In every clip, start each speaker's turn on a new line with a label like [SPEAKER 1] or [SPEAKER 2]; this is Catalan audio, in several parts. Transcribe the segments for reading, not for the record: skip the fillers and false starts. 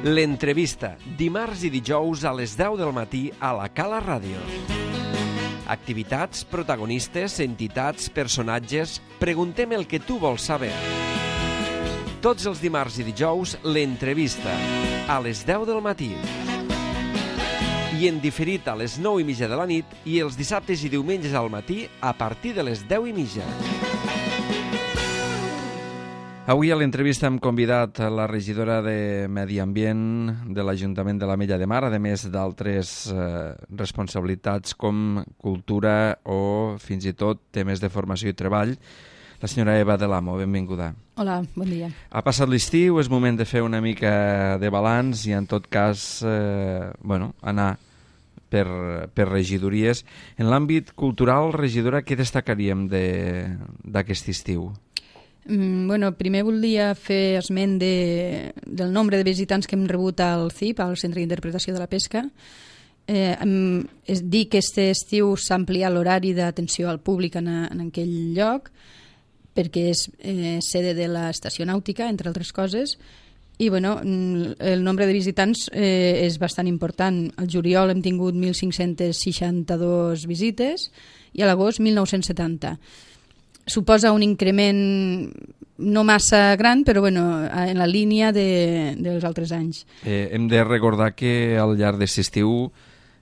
[SPEAKER 1] L'entrevista, dimarts i dijous a les 10 del matí a la Cala Ràdio. Activitats, protagonistes, entitats, personatges... Preguntem el que tu vols saber. Tots els dimarts i dijous, l'entrevista, a les 10 del matí. I en diferit a les 9:30 de la nit i els dissabtes i diumenges al matí a partir de les 10:30. Avui a l'entrevista hem convidat la regidora de Medi Ambient de l'Ajuntament de l'Ametlla de Mar, a més d'altres responsabilitats com cultura o fins i tot temes de formació i treball. La senyora Eva de l'Amo, benvinguda.
[SPEAKER 2] Hola, bon dia.
[SPEAKER 1] Ha passat l'estiu, és moment de fer una mica de balanç i en tot cas anar per regidories. En l'àmbit cultural, regidora, què destacaríem d'aquest estiu?
[SPEAKER 2] Primer volia fer esment del nombre de visitants que hem rebut al CIP, al Centre d'Interpretació de la Pesca. Dir que aquest estiu s'ha ampliat l'horari d'atenció al públic en aquell lloc, perquè és sede de l'estació nàutica, entre altres coses, i el nombre de visitants és bastant important. Al juliol hem tingut 1.562 visites i a l'agost 1.970. Suposa un increment no massa gran, però en la línia dels altres anys.
[SPEAKER 1] Hem de recordar que al llarg d'aquest estiu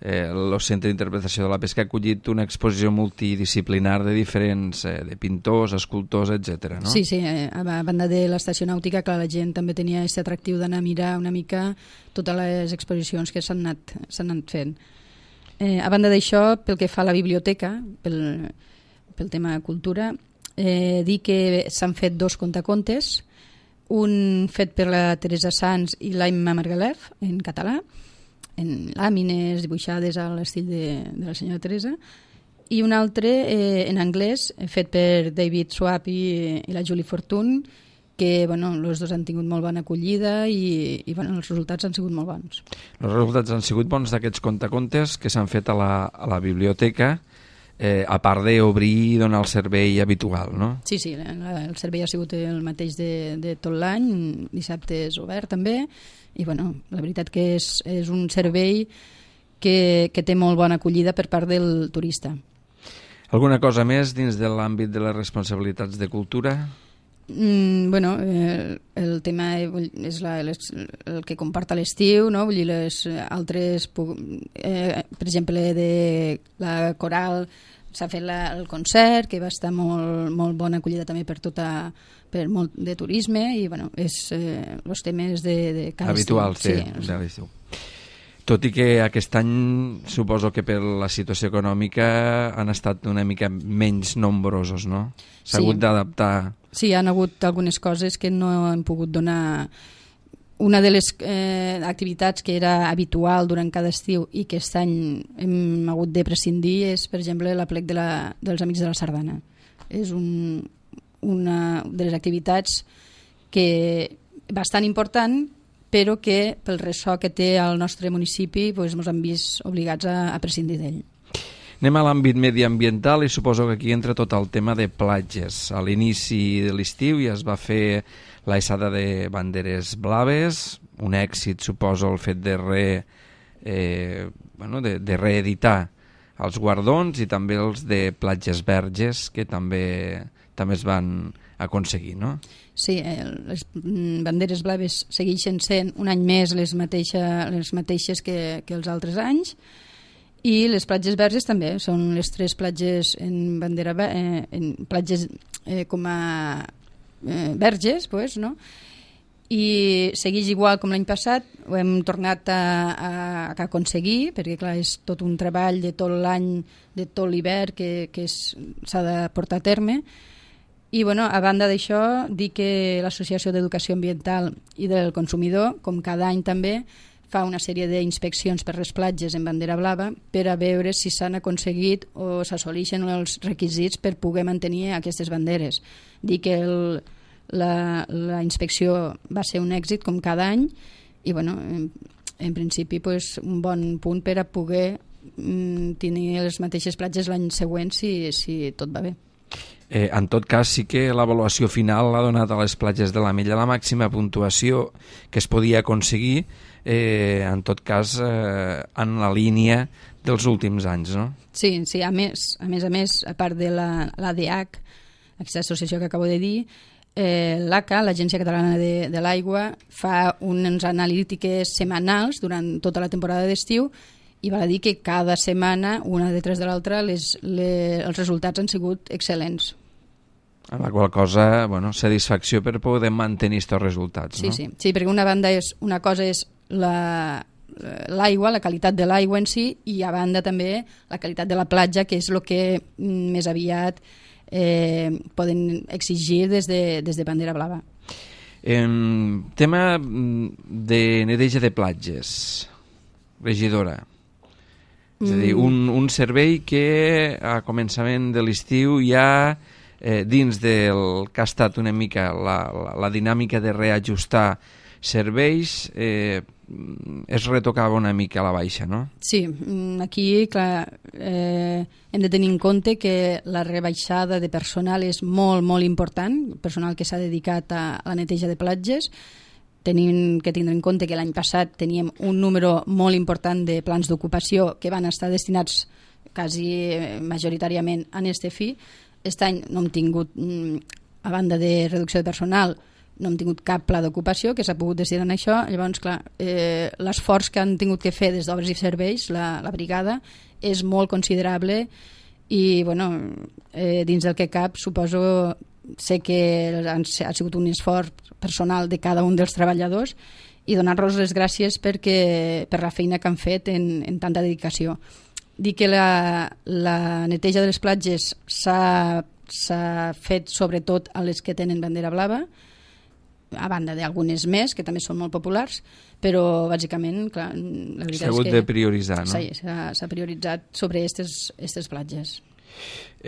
[SPEAKER 1] el Centre d'Interpretació de la Pesca ha acollit una exposició multidisciplinar de diferents, de pintors, escultors, etc. No?
[SPEAKER 2] Sí, a banda de l'estació nàutica, que la gent també tenia aquest atractiu d'anar a mirar una mica totes les exposicions que s'han anat fent. A banda d'això, pel que fa a la biblioteca, pel tema cultura, dir que s'han fet 2 contacontes, un fet per la Teresa Sans i l'Aimma Margalef, en català, en làmines dibuixades a l'estil de la senyora Teresa, i un altre en anglès, fet per David Swap i la Julie Fortune, que els dos han tingut molt bona acollida i els resultats han sigut molt bons.
[SPEAKER 1] Els resultats han sigut bons d'aquests contacontes que s'han fet a la biblioteca, a part d'obrir i donar el servei habitual, no?
[SPEAKER 2] Sí, el servei ha sigut el mateix de tot l'any, dissabte és obert també, i la veritat que és un servei que té molt bona acollida per part del turista.
[SPEAKER 1] Alguna cosa més dins de l'àmbit de les responsabilitats de cultura?
[SPEAKER 2] El tema és el que comporta l'estiu, no? Vull dir, les altres, per exemple, de la coral s'ha fet el concert, que va estar molt bona acollida també per molt de turisme, i és els temes de cada
[SPEAKER 1] habituals de l'estiu. Tot i que aquest any suposo que per la situació econòmica han estat una mica menys nombrosos, no? S'ha hagut d'adaptar.
[SPEAKER 2] Sí, hi ha hagut algunes coses que no hem pogut donar. Una de les activitats que era habitual durant cada estiu i que aquest any hem hagut de prescindir és, per exemple, l'aplec dels Amics de la Sardana. És una de les activitats que bastant important, però que pel ressò que té al nostre municipi ens hem vist obligats a prescindir d'ell.
[SPEAKER 1] Anem a l'àmbit mediambiental i suposo que aquí entra tot el tema de platges. A l'inici de l'estiu ja es va fer l'aixada de banderes blaves, un èxit suposo el fet de reeditar els guardons i també els de platges verges que també es van aconseguir, no?
[SPEAKER 2] Sí, les banderes blaves segueixen sent un any més les mateixes que els altres anys, i les platges verges també són les 3 platges en bandera en platges com a verges, no? I segueix igual com l'any passat. Ho hem tornat a aconseguir, perquè clar, és tot un treball de tot l'any, de tot l'hivern que s'ha de portar a terme. I a banda d'això, dir que l'Associació d'Educació Ambiental i del Consumidor, com cada any també, fa una sèrie d'inspeccions per les platges en bandera blava per a veure si s'han aconseguit o s'assoleixen els requisits per poder mantenir aquestes banderes. Dir que la inspecció va ser un èxit com cada any i en principi un bon punt per a poder tenir les mateixes platges l'any següent si tot va bé.
[SPEAKER 3] En tot cas, sí que l'avaluació final l'ha donat a les platges de la Mella la màxima puntuació que es podia aconseguir, en tot cas, en la línia dels últims anys, no?
[SPEAKER 2] Sí, a més, a part de l'ADH, aquesta associació que acabo de dir, l'ACA, l'Agència Catalana de l'Aigua, fa unes analítiques setmanals durant tota la temporada d'estiu i val a dir que cada setmana, una detrás de l'altra, els resultats han sigut excel·lents.
[SPEAKER 3] A la qual cosa, satisfacció per poder mantenir aquests resultats, no?
[SPEAKER 2] Sí, perquè una cosa és l'aigua, la qualitat de l'aigua en si, i a banda també la qualitat de la platja, que és el que més aviat poden exigir des de Bandera Blava.
[SPEAKER 3] Tema de neteja de platges, regidora. És a dir, un servei que a començament de l'estiu ja dins del que ha estat una mica la dinàmica de reajustar serveis, es retocava una mica a la baixa, no?
[SPEAKER 2] Sí, aquí, clar, hem de tenir en compte que la rebaixada de personal és molt, molt important, personal que s'ha dedicat a la neteja de platges. Tenim que tindre en compte que l'any passat teníem un número molt important de plans d'ocupació que van estar destinats quasi majoritàriament a este fi. Aquest any no hem tingut, a banda de reducció de personal, no hem tingut cap pla d'ocupació que s'ha pogut destinar a això. Llavors, clar, l'esforç que han tingut que fer des d'Obres i Serveis, la brigada, és molt considerable i, dins del que cap, suposo, sé que ha sigut un esforç personal de cada un dels treballadors i donar-los les gràcies per la feina que han fet en tanta dedicació. Dir que la neteja de les platges s'ha fet sobretot a les que tenen bandera blava, a banda d'algunes més, que també són molt populars, però bàsicament, clar, la veritat és que...
[SPEAKER 3] S'ha hagut de prioritzar, no?
[SPEAKER 2] Sí, s'ha prioritzat sobre aquestes platges.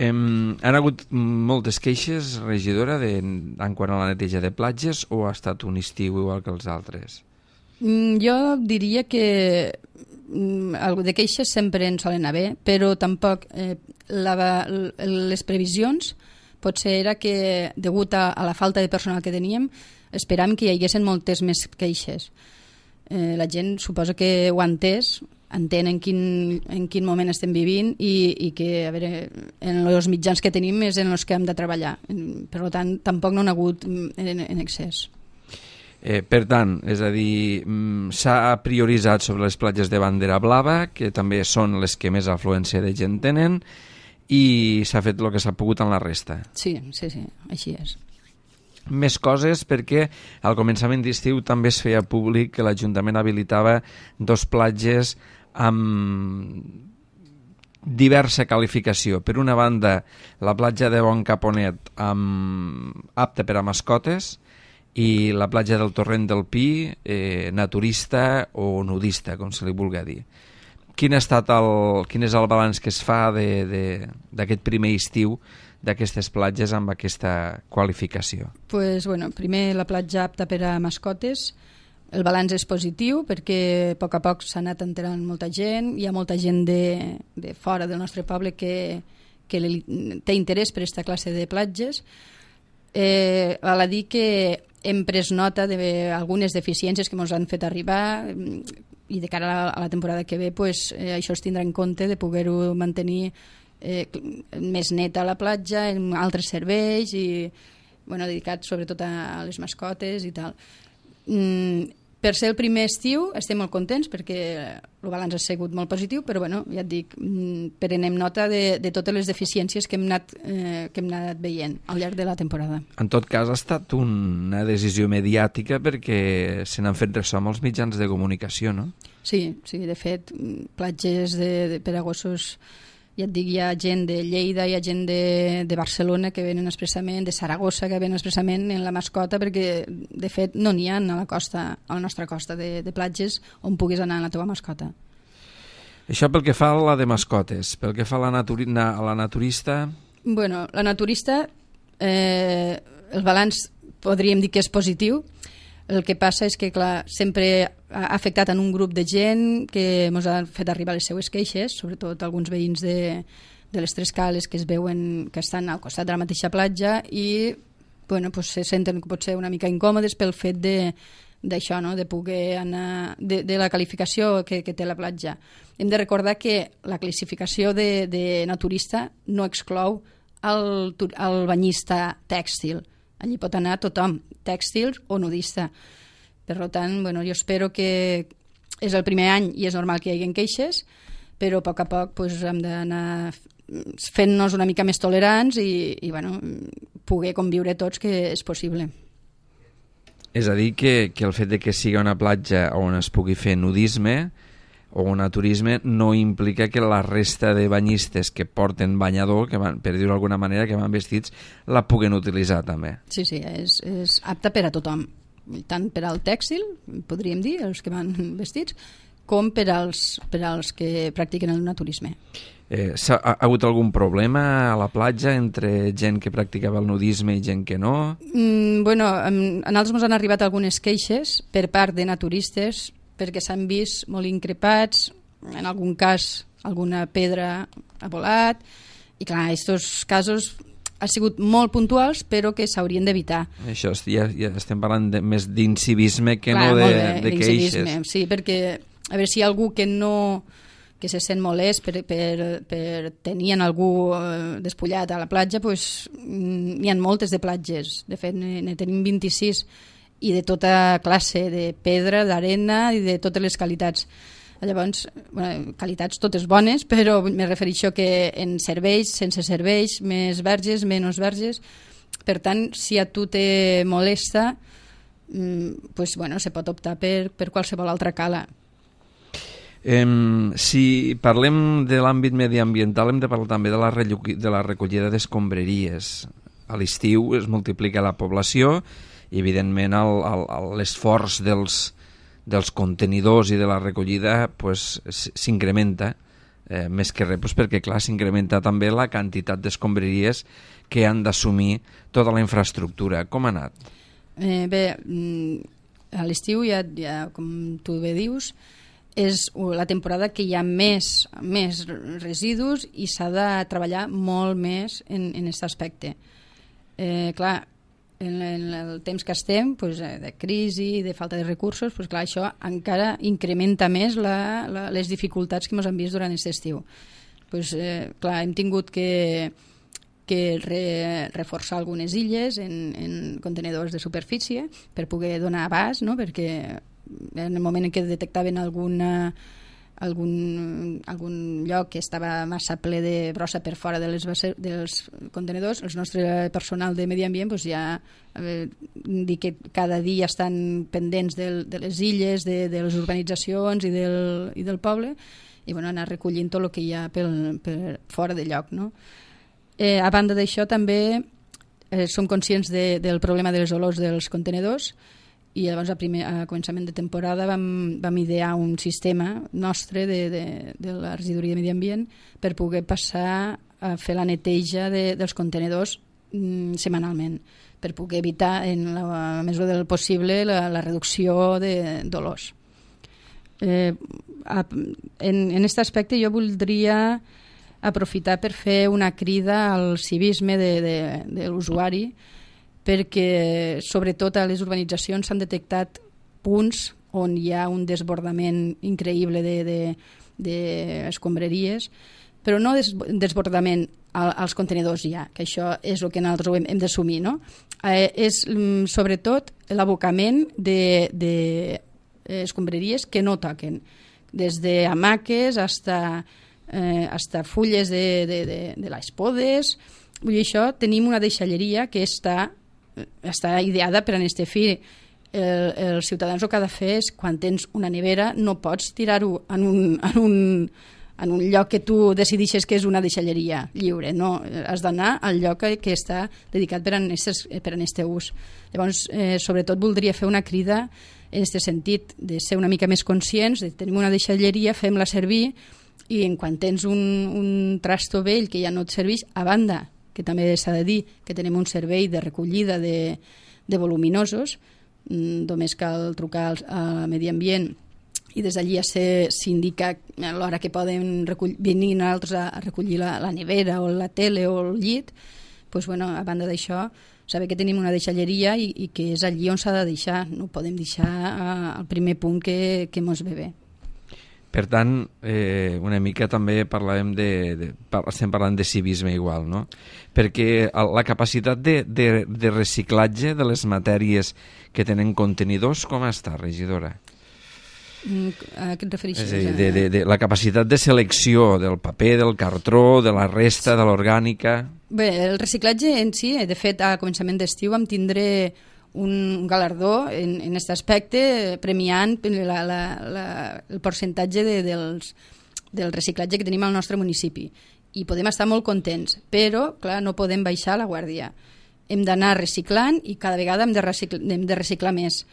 [SPEAKER 3] Han hagut moltes queixes, regidora, en quant a la neteja de platges, o ha estat un estiu igual que els altres?
[SPEAKER 2] Jo diria que de queixes sempre en solen haver, però tampoc les previsions potser era que, degut a la falta de personal que teníem, esperàvem que hi haguessin moltes més queixes. La gent suposa que ho ha entès, entén en quin moment estem vivint i que, a veure, en els mitjans que tenim és en els que hem de treballar. Per tant, tampoc no n'ha hagut en excés.
[SPEAKER 3] Per tant, és a dir, s'ha prioritzat sobre les platges de bandera blava, que també són les que més afluència de gent tenen, i s'ha fet el que s'ha pogut en la resta.
[SPEAKER 2] Sí, així és.
[SPEAKER 3] Més coses, perquè al començament d'estiu també es feia públic que l'Ajuntament habilitava 2 platges amb diversa qualificació. Per una banda, la platja de Bon Caponet apta per a mascotes, i la platja del Torrent del Pi, naturista o nudista, com se li vulgui dir. Quin és el balanç que es fa d'aquest primer estiu d'aquestes platges amb aquesta qualificació?
[SPEAKER 2] Primer la platja apta per a mascotes. El balanç és positiu perquè a poc s'ha anat enterant molta gent. Hi ha molta gent de fora del nostre poble que té interès per aquesta classe de platges. Val a dir que hem pres nota d'algunes deficiències que ens han fet arribar i de cara a la temporada que ve això es tindrà en compte de poder-ho mantenir més neta a la platja, amb altres serveis i dedicats sobretot a les mascotes i tal. Per ser el primer estiu estem molt contents perquè el balanç ha sigut molt positiu, però ja et dic, prenem nota de totes les deficiències que hem anat veient al llarg de la temporada.
[SPEAKER 3] En tot cas ha estat una decisió mediàtica perquè se n'han fet ressò molts mitjans de comunicació, no?
[SPEAKER 2] Sí, de fet, platges per a gossos, ja et dic, hi ha gent de Lleida, hi ha gent de Barcelona que venen expressament, de Saragossa que venen expressament en la mascota, perquè de fet no n'hi ha a la nostra costa de platges on puguis anar amb la teva mascota.
[SPEAKER 3] Això pel que fa a la de mascotes. Pel que fa a la naturista...
[SPEAKER 2] La naturista, el balanç podríem dir que és positiu. El que passa és que, clar, sempre ha afectat en un grup de gent que ens ha fet arribar les seues queixes, sobretot alguns veïns de les 3 cales que es veuen que estan al costat de la mateixa platja i bueno, pues se senten potser una mica incòmodes pel fet d'això, no? De poder anar de la qualificació que té la platja. Hem de recordar que la classificació de naturista no exclou el banyista tèxtil. Allí pot anar tothom, tèxtil o nudista. Per tant, bueno, jo espero que és el primer any i és normal que hi hagi queixes, però a poc a poc pues, hem d'anar fent-nos una mica més tolerants i bueno, poder conviure tots, que és possible.
[SPEAKER 3] És a dir, que el fet de que sigui una platja on es pugui fer nudisme o naturisme no implica que la resta de banyistes que porten banyador, que van, per dir-ho d'alguna manera, que van vestits, la puguen utilitzar també.
[SPEAKER 2] Sí, és apta per a tothom, tant per al tèxtil, podríem dir, els que van vestits, com per als que practiquen el naturisme.
[SPEAKER 3] Ha hagut algun problema a la platja entre gent que practicava el nudisme i gent que no?
[SPEAKER 2] Bueno, a nosaltres ens han arribat algunes queixes per part de naturistes perquè s'han vist molt increpats, en algun cas alguna pedra ha volat, i clar, aquests casos han sigut molt puntuals però que s'haurien d'evitar.
[SPEAKER 3] Això ja estem parlant més d'incivisme que clar, no de queixes.
[SPEAKER 2] Sí, perquè a veure si hi ha algú que se sent molest per tenir algú despullat a la platja, doncs n'hi ha moltes de platges, de fet ne tenim 26 i de tota classe, de pedra, d'arena i de totes les qualitats. Llavors, bueno, qualitats totes bones, però me refereixo que en serveis, sense serveis, més verges, menys verges. Per tant, si a tu te molesta, pues, bueno, se pot optar per qualsevol altra cala.
[SPEAKER 3] Si parlem de l'àmbit mediambiental, hem de parlar també de la recollida d'escombraries. A l'estiu es multiplica la població i, evidentment, l'esforç dels contenidors i de la recollida pues, s'incrementa, més que res perquè, clar, s'incrementa també la quantitat d'escombraries que han d'assumir tota la infraestructura. Com ha anat?
[SPEAKER 2] Bé, a l'estiu, ja, com tu bé dius, és la temporada que hi ha més residus i s'ha de treballar molt més en aquest aspecte. Clar, en el temps que estem, pues, de crisi, de falta de recursos, pues, clar, això encara incrementa més les dificultats que ens han vist durant aquest estiu. Pues, clar, hem tingut que reforçar algunes illes en contenidors de superfície per poder donar abast, no? Perquè en el moment en què detectaven algun lloc que estava massa ple de brossa per fora dels contenidors, el nostre personal de medi ambient pues, ja dir que cada dia estan pendents de les illes, de les urbanitzacions i del poble, i bueno, anar recollint tot el que hi ha per fora de lloc, no? A banda d'això també som conscients del problema de les olors dels contenidors, i llavors a començament de temporada vam idear un sistema nostre de la regidoria de medi ambient per poder passar a fer la neteja dels contenidors setmanalment, per poder evitar en la mesura del possible la reducció d'olors. En aquest aspecte jo voldria aprofitar per fer una crida al civisme de l'usuari, perquè sobretot a les urbanitzacions s'han detectat punts on hi ha un desbordament increïble d'escombraries, però no desbordament als contenidors ja, que això és el que nosaltres hem d'assumir, no? És sobretot l'abocament d'escombraries que no toquen, des d'hamaques hasta fulles de les podes. Vull dir, això tenim una deixalleria que està ideada per a aquest fi. Els ciutadans el que ha de fer és, quan tens una nevera, no pots tirar-ho en un lloc que tu decideixes que és una deixalleria lliure, no, has d'anar al lloc que està dedicat per a aquest ús. Llavors, sobretot voldria fer una crida en aquest sentit, de ser una mica més conscients, de tenir una deixalleria, fem-la servir, i en quan tens un trasto vell que ja no et serveix, a banda que també s'ha de dir que tenim un servei de recollida de voluminosos, només cal trucar al Medi Ambient i des d'allí s'indica l'hora que poden venir altres a recollir la nevera o la tele o el llit. Pues, bueno, a banda d'això, saber que tenim una deixalleria i que és allí on s'ha de deixar, no ho podem deixar al primer punt que mos ve bé.
[SPEAKER 3] Per tant, una mica també estem parlant de civisme igual, no? Perquè la capacitat de reciclatge de les matèries que tenen contenidors, com està, regidora?
[SPEAKER 2] A què et refereixes?
[SPEAKER 3] És a dir, de la capacitat de selecció del paper, del cartró, de la resta, de l'orgànica...
[SPEAKER 2] Bé, el reciclatge en si, de fet, a començament d'estiu vam tindre un galardó en aquest aspecte, premiant el percentatge del reciclatge que tenim al nostre municipi. I podem estar molt contents, però, clar, no podem baixar la guàrdia. Hem d'anar reciclant i cada vegada hem de reciclar més.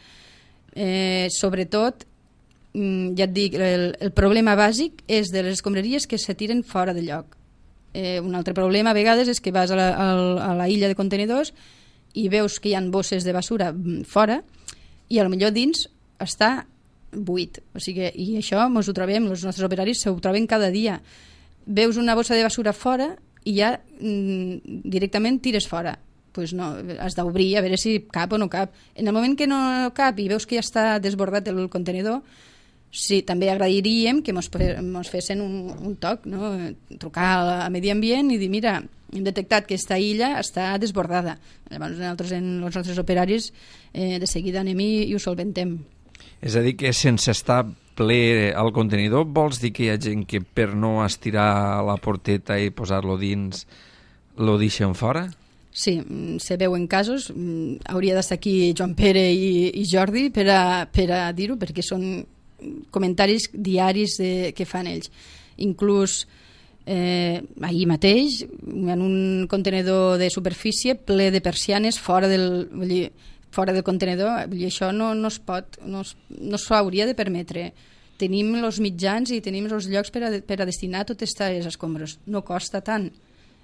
[SPEAKER 2] Sobretot, ja et dic, el problema bàsic és de les escombraries que se tiren fora de lloc. Un altre problema a vegades és que vas a la illa de contenidors i veus que hi ha bosses de basura fora i a lo millor dins està buit. O sigui, i això ens ho trobem, els nostres operaris s'ho troben cada dia. Veus una bossa de basura fora i ja directament tires fora. Pues no, has d'obrir a veure si cap o no cap. En el moment que no cap i veus que ja està desbordat el contenidor, sí, també agrairíem que mos fessin un toc, no? Trucar a Medi Ambient i dir, mira, hem detectat que aquesta illa està desbordada. Llavors nosaltres, els nostres operaris, de seguida anem i ho solventem.
[SPEAKER 3] És a dir, que sense estar ple al contenidor, vols dir que hi ha gent que per no estirar la porteta i posar-lo dins, lo deixen fora?
[SPEAKER 2] Sí, se veuen casos. Hauria d'estar aquí Joan Pere i Jordi per a dir-ho, perquè són comentaris diaris que fan ells. Inclús ahir mateix, en un contenedor de superfície ple de persianes fora del contenedor, vull dir, això no es pot, no s'hauria de permetre. Tenim els mitjans i tenim els llocs per a destinar totes aquestes escombres. No costa tant.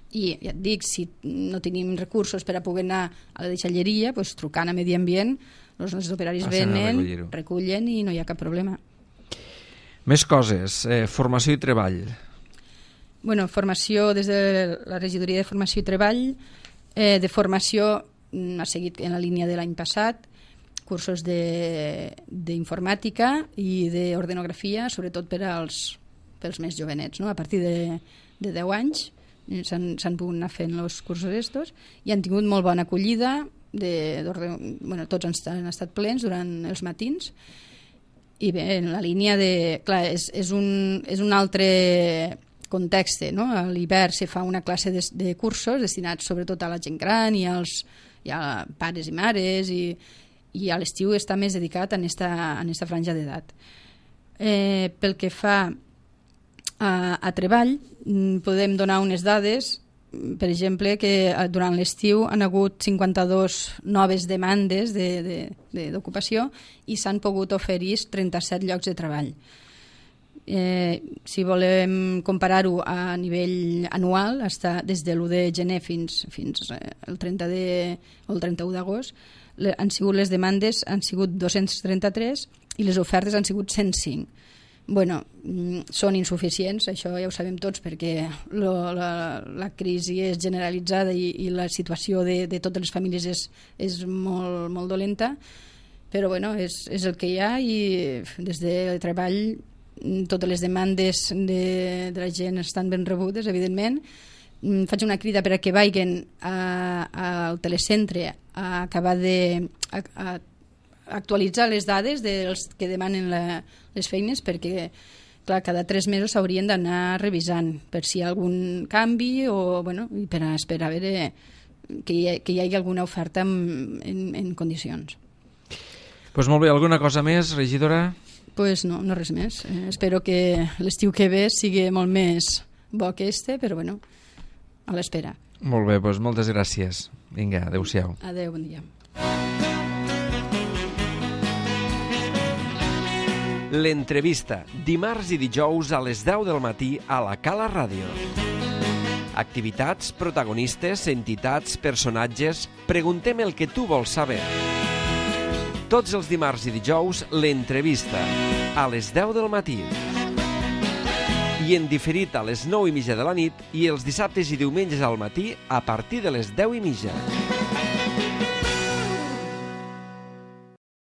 [SPEAKER 2] I ja et dic, si no tenim recursos per a poder anar a la deixalleria, doncs trucant a Medi Ambient, els nostres operaris venen, recullen i no hi ha cap problema.
[SPEAKER 3] Més coses, formació i treball.
[SPEAKER 2] Bueno, formació des de la regidoria de formació i treball. De formació ha seguit en la línia de l'any passat, cursos d'informàtica i d'ordenografia, sobretot pels més jovenets, no? A partir de 10 anys s'han pogut anar fent els cursos estos i han tingut molt bona acollida, tots han estat plens durant els matins. I bé, en la línia de... Clar, és un altre context, no? A l'hivern se fa una classe de cursos destinats sobretot a la gent gran i a pares i mares, i a l'estiu està més dedicat a esta franja d'edat. Pel que fa a treball, podem donar unes dades. Per exemple, que durant l'estiu han hagut 52 noves demandes d'ocupació i s'han pogut oferir 37 llocs de treball. Si volem comparar-ho a nivell anual, des de l'1 de gener fins el 31 d'agost, les demandes han sigut 233 i les ofertes han sigut 105. Bueno, són insuficients, això ja ho sabem tots, perquè la crisi és generalitzada i la situació de totes les famílies és molt, molt dolenta, però bueno, és el que hi ha, i des de treball totes les demandes de la gent estan ben rebudes, evidentment. Faig una crida per a que vagin al telecentre a acabar actualitzar les dades dels que demanen les feines, perquè clar, cada 3 mesos s'haurien d'anar revisant per si hi ha algun canvi o i per a esperar a veure que hi hagi alguna oferta en condicions.
[SPEAKER 3] Pues molt bé, alguna cosa més, regidora?
[SPEAKER 2] Pues no res més. Espero que l'estiu que ve sigui molt més bo que però a l'espera.
[SPEAKER 3] Molt bé, doncs moltes gràcies. Vinga, adeu-siau.
[SPEAKER 2] Adeu, bon dia.
[SPEAKER 1] L'entrevista, dimarts i dijous a les 10 del matí a la Cala Ràdio. Activitats, protagonistes, entitats, personatges... Preguntem el que tu vols saber. Tots els dimarts i dijous, l'entrevista, a les 10 del matí. I en diferit a les 9:30 de la nit i els dissabtes i diumenges al matí a partir de les 10:30.